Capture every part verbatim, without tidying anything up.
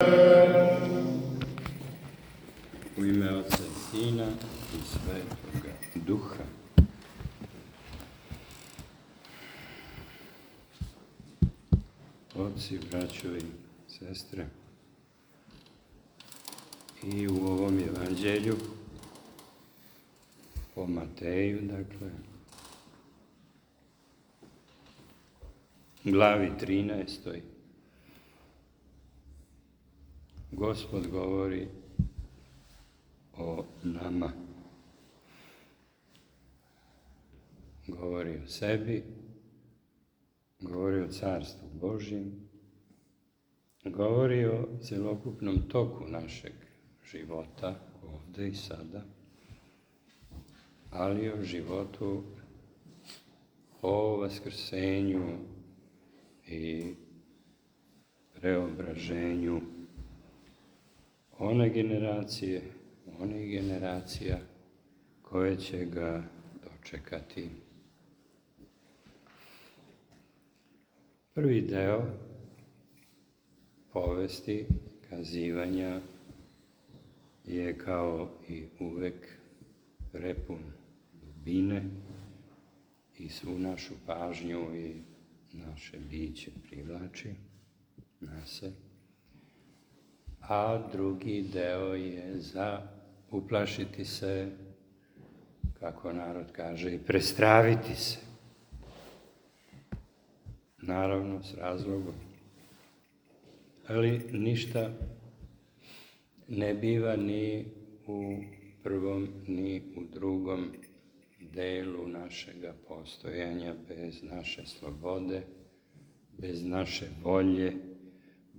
U ime Oca i Sina i Svetoga Duha. Oci, braćo i sestre, i u ovom evanđelju po Mateju, dakle, glavi trinaestoj, Gospod govori o nama. Govori o sebi, govori o Carstvu Božjem, govori o celokupnom toku našeg života, ovde i sada, ali o životu, o vaskrsenju i preobraženju one generacije, onih generacija koje će ga dočekati. Prvi deo povesti, kazivanja, je kao i uvek prepun dubine i svu našu pažnju i naše biće privlači na se. A drugi deo je za uplašiti se, kako narod kaže, i prestraviti se. Naravno, s razlogom. Ali ništa ne biva ni u prvom, ni u drugom delu našega postojanja bez naše slobode, bez naše volje,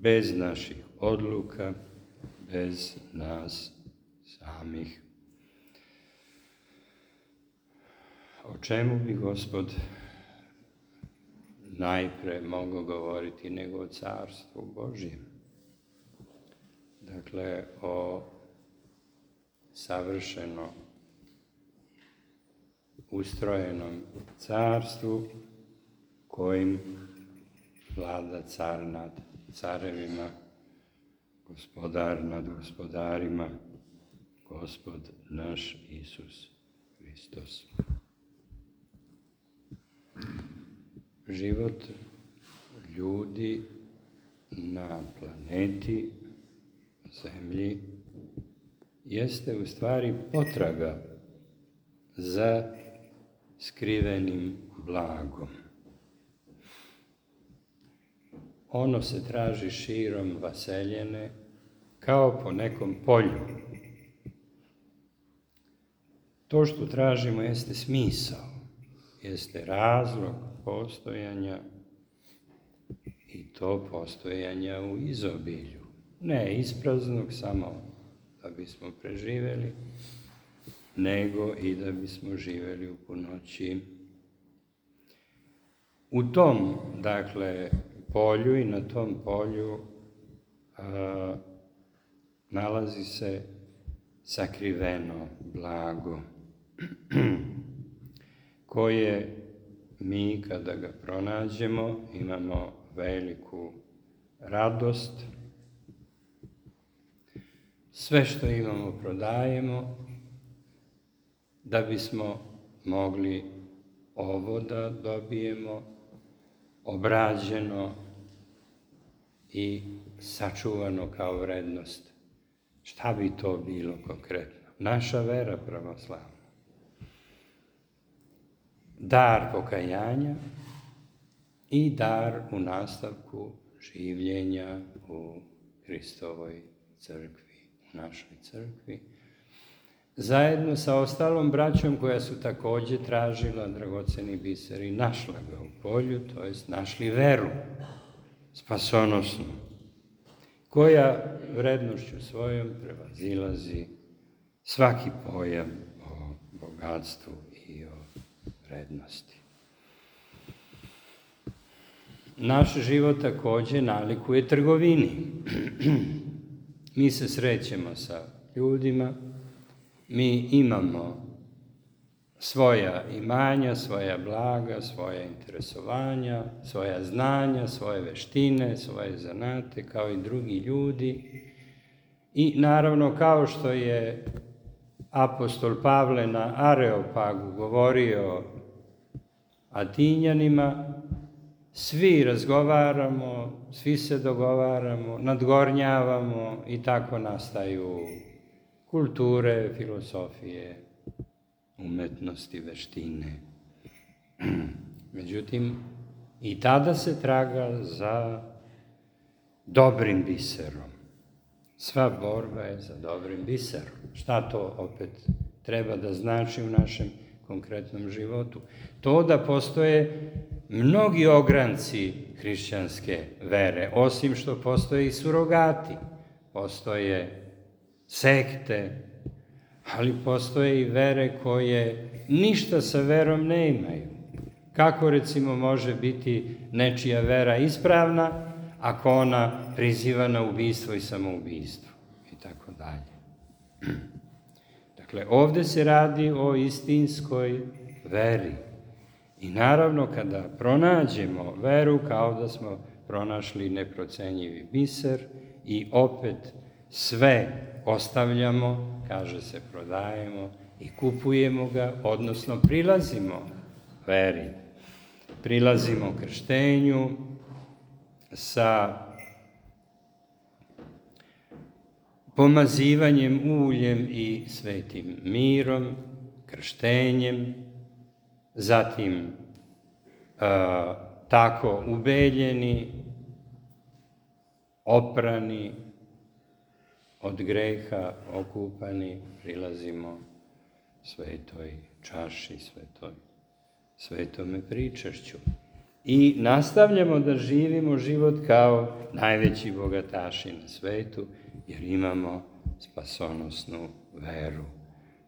bez naših odluka, bez nas samih. O čemu bi Gospod najpre mogao govoriti nego o Carstvu Božjem? Dakle, o savršeno ustrojenom carstvu kojim vlada car nad carevima, gospodar nad gospodarima, Gospod naš Isus Hristos. Život ljudi na planeti Zemlji jeste u stvari potraga za skrivenim blagom. Ono se traži širom vaseljene kao po nekom polju. To što tražimo jeste smisao, jeste razlog postojanja i to postojanja u izobilju. Ne ispraznog samo da bismo preživeli, nego i da bismo živeli u punoći. U tom, dakle, polju i na tom polju a, nalazi se sakriveno blago koje mi kada ga pronađemo imamo veliku radost. Sve što imamo prodajemo da bismo mogli ovo da dobijemo obrađeno i sačuvano kao vrednost. Šta bi to bilo konkretno? Naša vera pravoslavna. Dar pokajanja i dar u nastavku življenja u Hristovoj crkvi, u našoj crkvi, zajedno sa ostalom braćom koja su takođe tražila dragoceni biser i našla ga u polju, to jest našli veru spasonosnu, koja vrednošću svojom prevazilazi svaki pojam o bogatstvu i o vrednosti. Naš život takođe nalikuje trgovini. Mi se srećemo sa ljudima, mi imamo svoja imanja, svoja blaga, svoja interesovanja, svoja znanja, svoje veštine, svoje zanate, kao i drugi ljudi. I naravno, kao što je apostol Pavle na Areopagu govorio Atinjanima, svi razgovaramo, svi se dogovaramo, nadgornjavamo i tako nastaju kulture, filosofije, umetnosti, veštine. Međutim, i tada se traga za dobrim biserom. Sva borba je za dobrim biserom. Šta to opet treba da znači u našem konkretnom životu? To da postoje mnogi ogranci hrišćanske vere, osim što postoje i surogati, postoje sekte, ali postoje i vere koje ništa sa verom ne imaju. Kako recimo može biti nečija vera ispravna ako ona priziva na ubistvo i samoubistvo i tako dalje. Dakle, ovde se radi o istinskoj veri. I naravno, kada pronađemo veru, kao da smo pronašli neprocenjivi biser i opet sve ostavljamo, kaže se prodajemo i kupujemo ga, odnosno prilazimo veri. Prilazimo krštenju sa pomazivanjem uljem i svetim mirom, krštenjem, zatim a, tako ubeljeni, oprani, od greha okupani, prilazimo svetoj čaši, svetoj, svetome pričašću. I nastavljamo da živimo život kao najveći bogataši na svetu, jer imamo spasonosnu veru.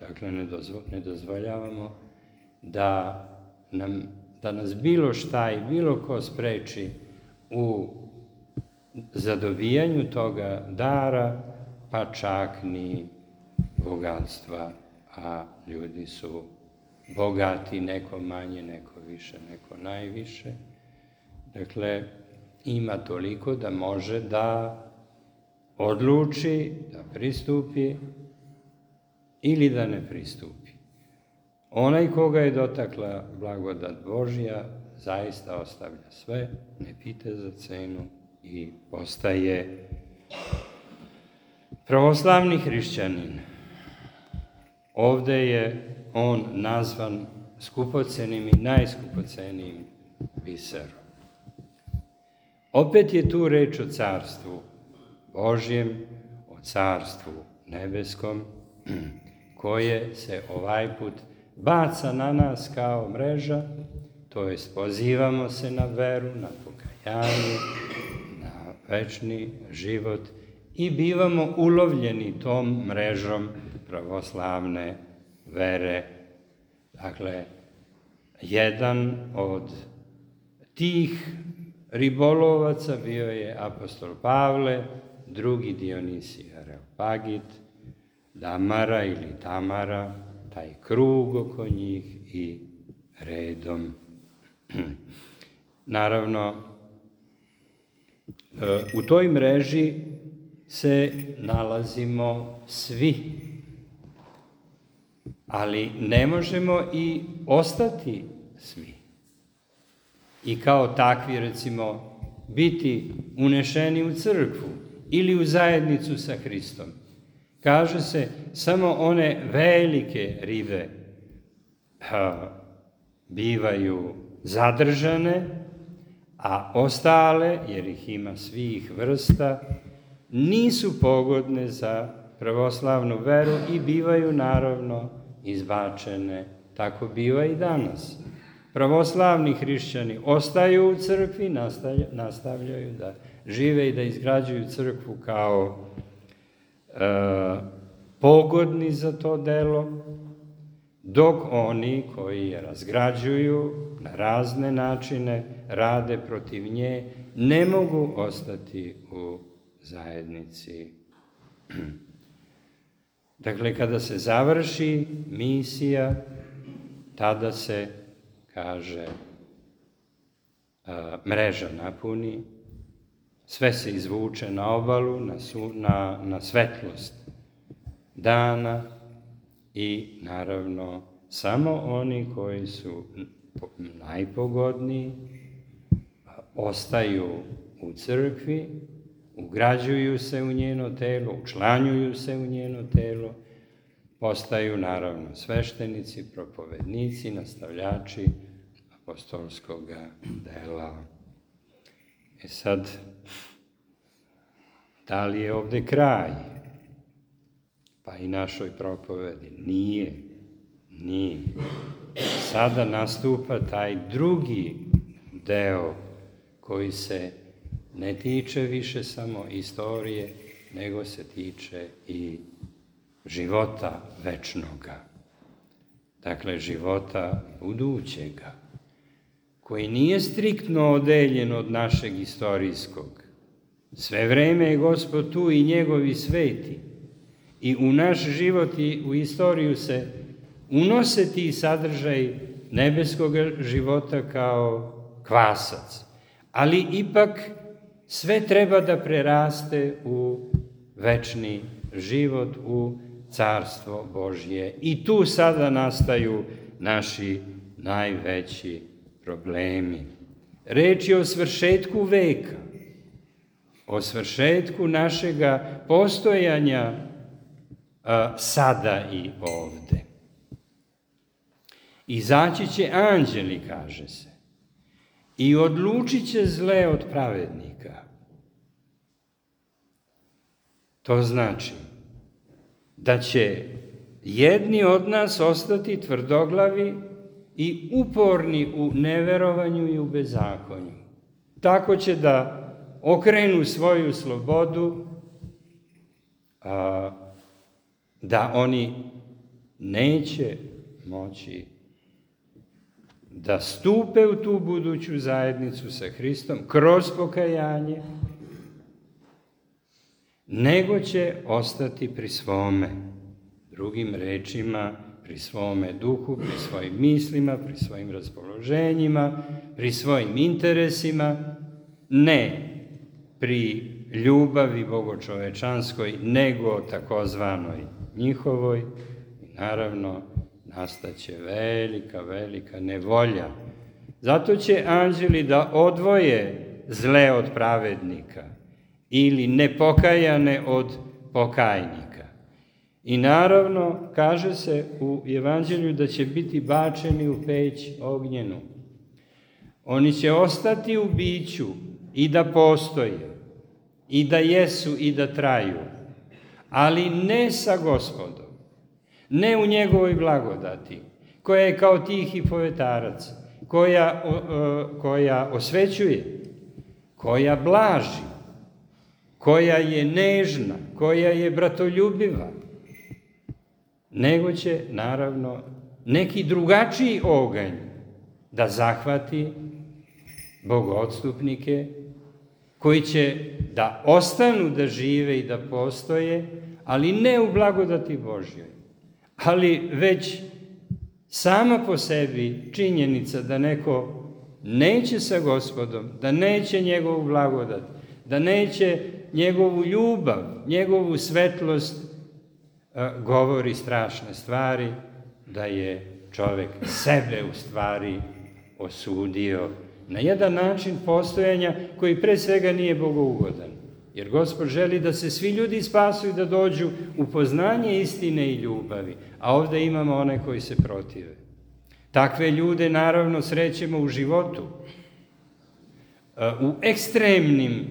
Dakle, ne, dozvo, ne dozvoljavamo da, nam, da nas bilo šta i bilo ko spreči u zadobijanju toga dara, pa čak ni bogatstva, a ljudi su bogati, neko manje, neko više, neko najviše. Dakle, ima toliko da može da odluči, da pristupi ili da ne pristupi. Onaj koga je dotakla blagodat Božja, zaista ostavlja sve, ne pita za cenu i postaje pravoslavni hrišćanin. Ovde je on nazvan skupocenim i najskupocenijim biserom. Opet je tu reč o carstvu Božjem, o carstvu nebeskom, koje se ovaj put baca na nas kao mreža, to jest pozivamo se na veru, na pokajanje, na večni život i bivamo ulovljeni tom mrežom pravoslavne vere. Dakle, jedan od tih ribolovaca bio je apostol Pavle, drugi Dionisij Areopagit, Damara ili Tamara, taj krug oko njih i redom. Naravno, u toj mreži se nalazimo svi, ali ne možemo i ostati svi. I kao takvi, recimo, biti unešeni u crkvu ili u zajednicu sa Hristom. Kaže se, samo one velike ribe ha, bivaju zadržane, a ostale, jer ih ima svih vrsta, nisu pogodne za pravoslavnu veru i bivaju naravno izbačene. Tako biva i danas. Pravoslavni hrišćani ostaju u crkvi, nastavljaju da žive i da izgrađuju crkvu kao e, pogodni za to delo, dok oni koji je razgrađuju na razne načine, rade protiv nje, ne mogu ostati u zajednici. Dakle, kada se završi misija, tada se, kaže, mreža napuni, sve se izvuče na obalu, na, su, na, na svetlost dana i naravno samo oni koji su najpogodniji ostaju u crkvi, ugrađuju se u njeno telo, učlanjuju se u njeno telo, postaju naravno sveštenici, propovednici, nastavljači apostolskog dela. E sad, da li je ovde kraj? Pa i našoj propovedi. Nije. Nije. Sada nastupa taj drugi deo koji se ne tiče više samo istorije, nego se tiče i života večnoga. Dakle, života budućega, koji nije striktno odeljen od našeg istorijskog. Sve vreme je Gospod tu i njegovi sveti. I u naš život i u istoriju se unose ti sadržaj nebeskog života kao kvasac. Ali ipak sve treba da preraste u večni život, u carstvo Božje. I tu sada nastaju naši najveći problemi. Reč je o svršetku veka, o svršetku našega postojanja a, sada i ovde. Izaći će anđeli, kaže se, i odlučit će zle od pravednika. To znači da će jedni od nas ostati tvrdoglavi i uporni u neverovanju i u bezakonju. Tako će da okrenu svoju slobodu, a, da oni neće moći da stupe u tu buduću zajednicu sa Hristom kroz pokajanje, nego će ostati pri svome, drugim rečima, pri svome duhu, pri svojim mislima, pri svojim raspoloženjima, pri svojim interesima, ne pri ljubavi bogočovečanskoj, nego takozvanoj njihovoj. I naravno, nastaće velika, velika nevolja. Zato će anđeli da odvoje zle od pravednika ili nepokajane od pokajnika. I naravno, kaže se u Evanđelju da će biti bačeni u peć ognjenu. Oni će ostati u biću i da postoje, i da jesu i da traju, ali ne sa Gospodom, ne u njegovoj blagodati, koja je kao tihi povetarac, koja, koja osvećuje, koja blaži, koja je nežna, koja je bratoljubiva, nego će, naravno, neki drugačiji oganj da zahvati bogoodstupnike, koji će da ostanu da žive i da postoje, ali ne u blagodati Božjoj, ali već sama po sebi činjenica da neko neće sa Gospodom, da neće njegovu blagodat, da neće njegovu ljubav, njegovu svetlost, govori strašne stvari, da je čovek sebe u stvari osudio na jedan način postojanja koji pre svega nije bogougodan. Jer Gospod želi da se svi ljudi spasu i da dođu u poznanje istine i ljubavi, a ovde imamo one koji se protive. Takve ljude naravno srećemo u životu, u ekstremnim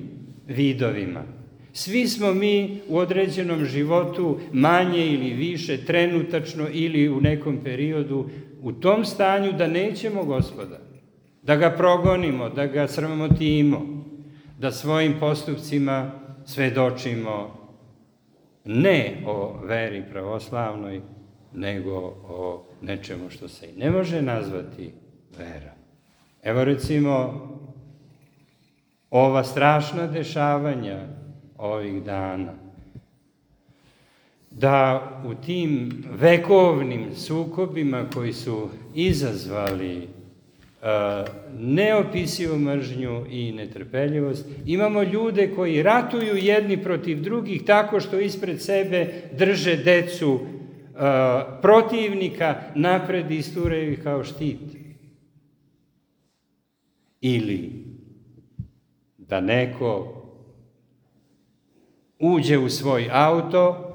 vidovima. Svi smo mi u određenom životu manje ili više, trenutačno ili u nekom periodu, u tom stanju da nećemo Gospoda, da ga progonimo, da ga sramotimo, da svojim postupcima svedočimo ne o veri pravoslavnoj, nego o nečemu što se i ne može nazvati vera. Evo recimo ova strašna dešavanja ovih dana. da u tim vekovnim sukobima koji su izazvali uh, neopisivu mržnju i netrpeljivost, imamo ljude koji ratuju jedni protiv drugih tako što ispred sebe drže decu uh, protivnika, napred isturaju ih kao štit. Ili da neko uđe u svoj auto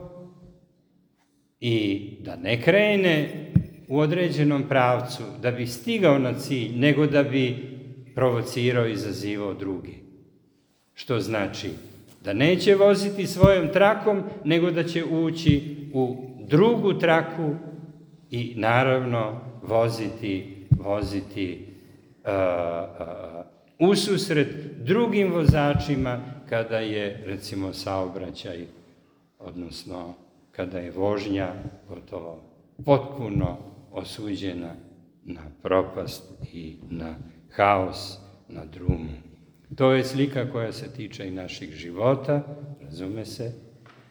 i da ne krene u određenom pravcu da bi stigao na cilj, nego da bi provocirao i izazivao druge. Što znači da neće voziti svojom trakom, nego da će ući u drugu traku i naravno voziti, voziti uh, uh, ususret drugim vozačima kada je, recimo, saobraćaj, odnosno kada je vožnja gotovo potpuno osuđena na propast i na haos, na drumu. To je slika koja se tiče i naših života, razume se.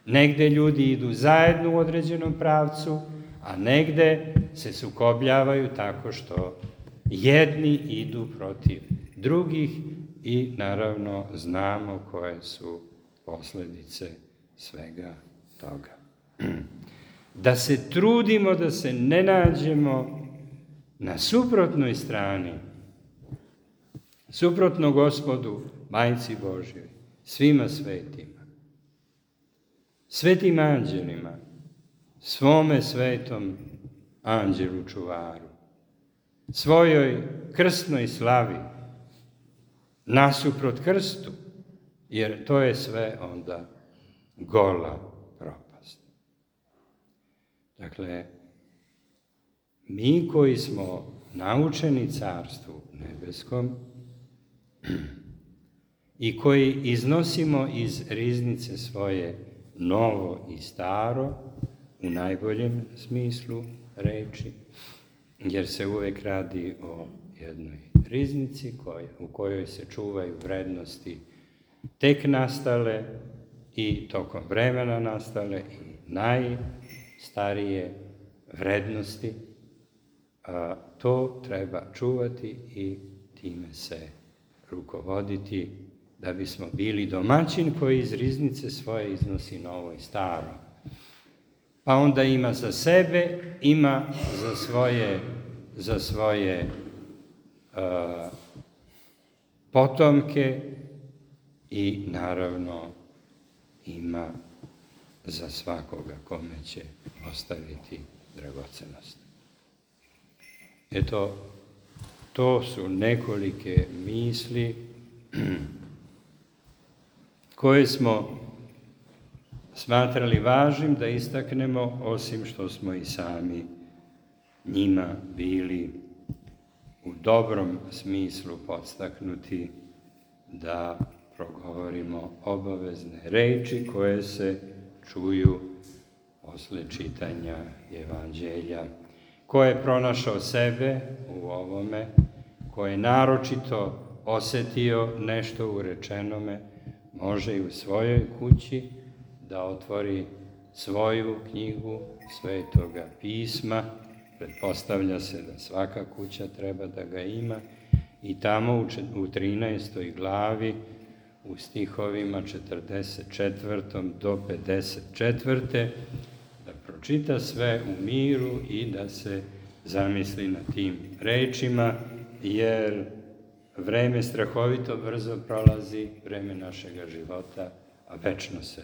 Negde ljudi idu zajedno u određenom pravcu, a negde se sukobljavaju tako što jedni idu protiv drugih i naravno znamo koje su posljedice svega toga. Da se trudimo da se ne nađemo na suprotnoj strani, suprotno Gospodu, Majci Božjoj, svima svetima, svetim anđelima, svome svetom anđelu čuvaru, svojoj krstnoj slavi, nasuprot krstu, jer to je sve onda gola propast. Dakle, mi koji smo naučeni Carstvu nebeskom i koji iznosimo iz riznice svoje novo i staro, u najboljem smislu reči, jer se uvek radi o jednoj riznici koja, u kojoj se čuvaju vrednosti tek nastale i tokom vremena nastale i najstarije vrednosti, a to treba čuvati i time se rukovoditi da bismo bili domaćin koji iz riznice svoje iznosi novo i staro. Pa onda ima za sebe, ima za svoje, za svoje uh, potomke i naravno ima za svakoga kome će ostaviti dragocenost. Eto, to su nekolike misli koje smo smatrali važnim da istaknemo, osim što smo i sami njima bili u dobrom smislu podstaknuti da progovorimo obavezne reči koje se čuju posle čitanja Evanđelja. Ko je pronašao sebe u ovome, ko je naročito osetio nešto u rečenome, može i u svojoj kući da otvori svoju knjigu Svetoga pisma. Pretpostavlja se da svaka kuća treba da ga ima i tamo u trinaestoj glavi u stihovima četrdeset četvrtom do pedeset četvrte da pročita sve u miru i da se zamisli na tim rečima, jer vreme strahovito brzo prolazi, vreme našega života, a večno se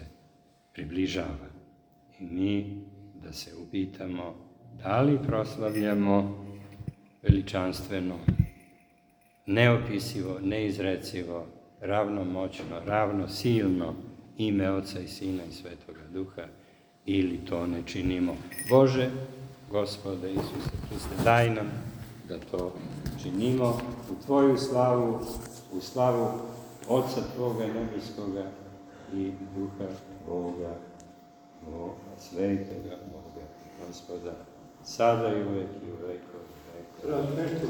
približava. I mi da se upitamo da li proslavljamo veličanstveno, neopisivo, neizrecivo, ravnomoćno, ravnosilno ime Oca i Sina i Svetoga Duha, ili to ne činimo. Bože, Gospode Isuse Hriste, daj nam da to činimo u Tvoju slavu, u slavu Oca Tvoga nebeskoga i Duha Boga, Boga, Svetoga Boga, Gospoda, sada i uvek i u vekove vekova. Ništa